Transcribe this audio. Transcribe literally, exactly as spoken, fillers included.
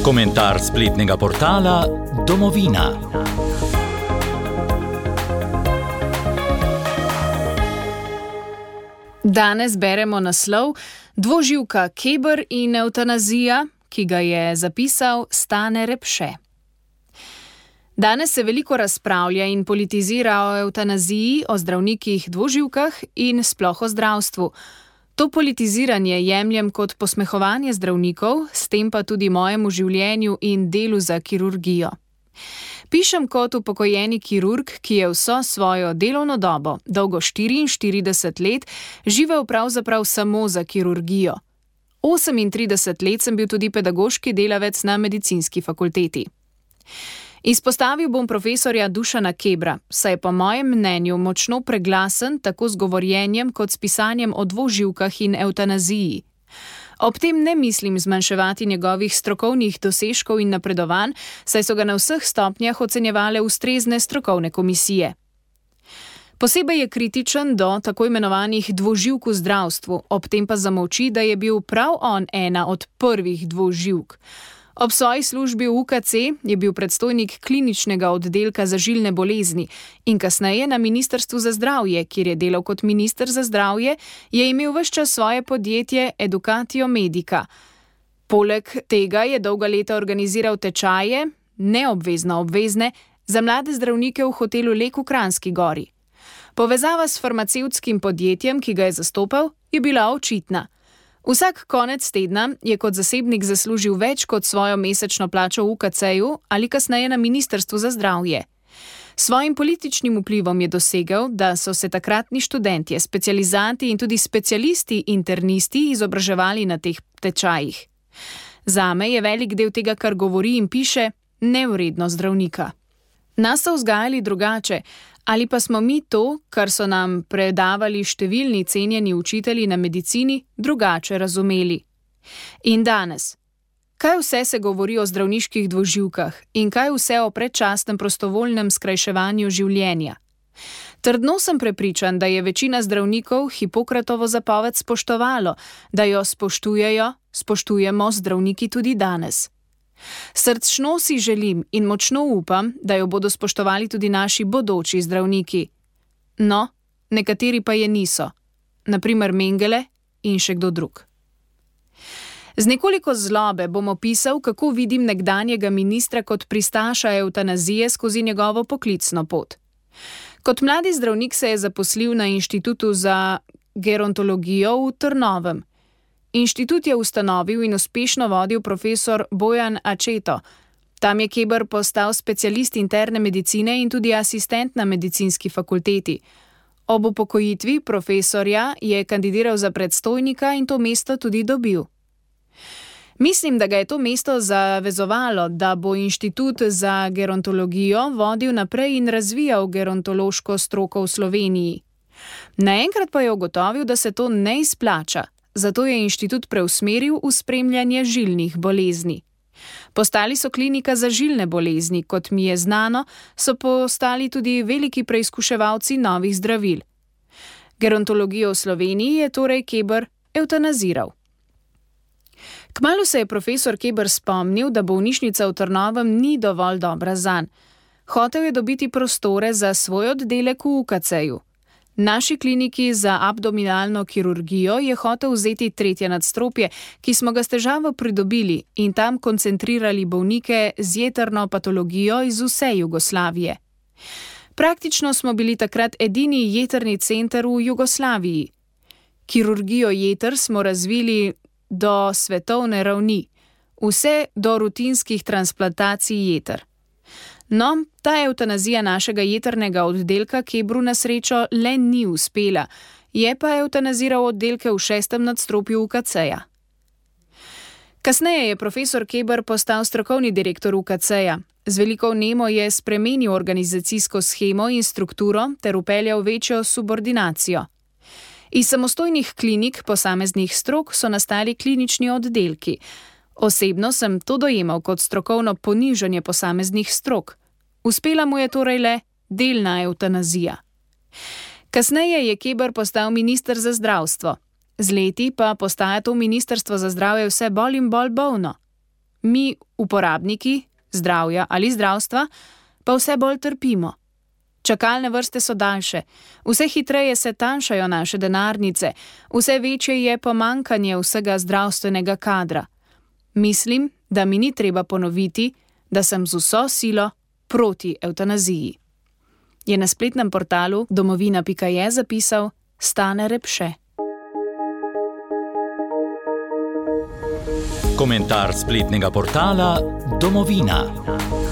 Komentar spletnega portala Domovina. Danes beremo naslov Dvoživka Keber in evtanazija, ki ga je zapisal Stane Repše. Danes se veliko razpravlja in politizira o evtanaziji, o zdravnikih dvoživkah in sploh o zdravstvu. To politiziranje jemljem kot posmehovanje zdravnikov, s tem pa tudi mojemu življenju in delu za kirurgijo. Pišem kot upokojeni kirurg, ki je vso svojo delovno dobo, dolgo štiriinštirideset let, živel pravzaprav samo za kirurgijo. osemintrideset let sem bil tudi pedagoški delavec na medicinski fakulteti. Izpostavil bom profesorja Dušana Kebra, saj je po mojem mnenju močno preglasen tako z govorjenjem kot s pisanjem o dvoživkah in evtanaziji. Ob tem ne mislim zmanjševati njegovih strokovnih dosežkov in napredovanj, saj so ga na vseh stopnjah ocenjevale ustrezne strokovne komisije. Posebej je kritičen do tako imenovanih dvoživk v zdravstvu, ob tem pa zamolči, da je bil prav on ena od prvih dvoživk. Ob svoji službi v U K C je bil predstojnik kliničnega oddelka za žilne bolezni in kasneje na Ministrstvu za zdravje, kjer je delal kot minister za zdravje, je imel ves čas svoje podjetje Educatio Medica. Poleg tega je dolga leta organiziral tečaje, neobvezno obvezne, za mlade zdravnike v hotelu Lek v Kranjski Gori. Povezava s farmacevtskim podjetjem, ki ga je zastopal, je bila očitna. Vsak konec tedna je kot zasebnik zaslužil več kot svojo mesečno plačo v U K C-ju ali kasneje na Ministrstvu za zdravje. Svojim političnim vplivom je dosegel, da so se takratni študentje, specializanti in tudi specialisti internisti izobraževali na teh tečajih. Zame je velik del tega, kar govori in piše, nevredno zdravnika. Nas so vzgajali drugače, ali pa smo mi to, kar so nam predavali številni cenjeni učitelji na medicini, drugače razumeli. In danes, kaj vse se govori o zdravniških dvoživkah in kaj vse o predčasnem prostovoljnem skrajševanju življenja? Trdno sem prepričan, da je večina zdravnikov Hipokratovo zapoved spoštovalo, da jo spoštujejo, spoštujemo zdravniki tudi danes. Srčno si želim in močno upam, da jo bodo spoštovali tudi naši bodoči zdravniki. No, nekateri pa je niso, na primer Mengele in še kdo drug. Z nekoliko zlobe bom opisal, kako vidim nekdanjega ministra kot pristaša evtanazije skozi njegovo poklicno pot. Kot mladi zdravnik se je zaposlil na Inštitutu za gerontologijo v Trnovem. Inštitut je ustanovil in uspešno vodil profesor Bojan Accetto. Tam je Keber postal specialist interne medicine in tudi asistent na medicinski fakulteti. Ob upokojitvi profesorja je kandidiral za predstojnika in to mesto tudi dobil. Mislim, da ga je to mesto zavezovalo, da bo Inštitut za gerontologijo vodil naprej in razvijal gerontološko stroko v Sloveniji. Naenkrat pa je ugotovil, da se to ne izplača. Zato je inštitut preusmeril v spremljanje žilnih bolezni. Postali so klinika za žilne bolezni, kot mi je znano, so postali tudi veliki preizkuševalci novih zdravil. Gerontologijo v Sloveniji je torej Keber evtanaziral. Kmalu se je profesor Keber spomnil, da bolnišnica v Trnovem ni dovolj dobra zanj. Hotel je dobiti prostore za svoj oddelek v U K C-ju. Naši kliniki za abdominalno kirurgijo je hotel vzeti tretje nadstropje, ki smo ga s težavo pridobili in tam koncentrirali bolnike z jetrno patologijo iz vse Jugoslavije. Praktično smo bili takrat edini jetrni center v Jugoslaviji. Kirurgijo jeter smo razvili do svetovne ravni, vse do rutinskih transplantacij jeter. No, ta evtanazija našega jetrnega oddelka Kebru na srečo le ni uspela, je pa evtanaziral oddelke v šestem nadstropju U K C-ja. Kasneje je profesor Keber postal strokovni direktor U K C-ja. Z veliko vnemo je spremenil organizacijsko shemo in strukturo ter vpeljal večjo subordinacijo. Iz samostojnih klinik posameznih strok so nastali klinični oddelki. Osebno sem to dojemal kot strokovno ponižanje posameznih strok. Uspela mu je torej le delna evtanazija. Kasneje je Keber postal minister za zdravstvo. Z leti pa postaja to ministrstvo za zdravje vse bolj in bolj bolno. mi, uporabniki zdravja ali zdravstva, pa vse bolj trpimo. Čakalne vrste so daljše, vse hitreje se tanjšajo naše denarnice, vse večje je pomanjkanje vsega zdravstvenega kadra. Mislim, da mi ni treba ponoviti, da sem z vso silo proti evtanaziji. Je na spletnem portalu domovina pika je zapisal Stane Repše. Komentar spletnega portala Domovina.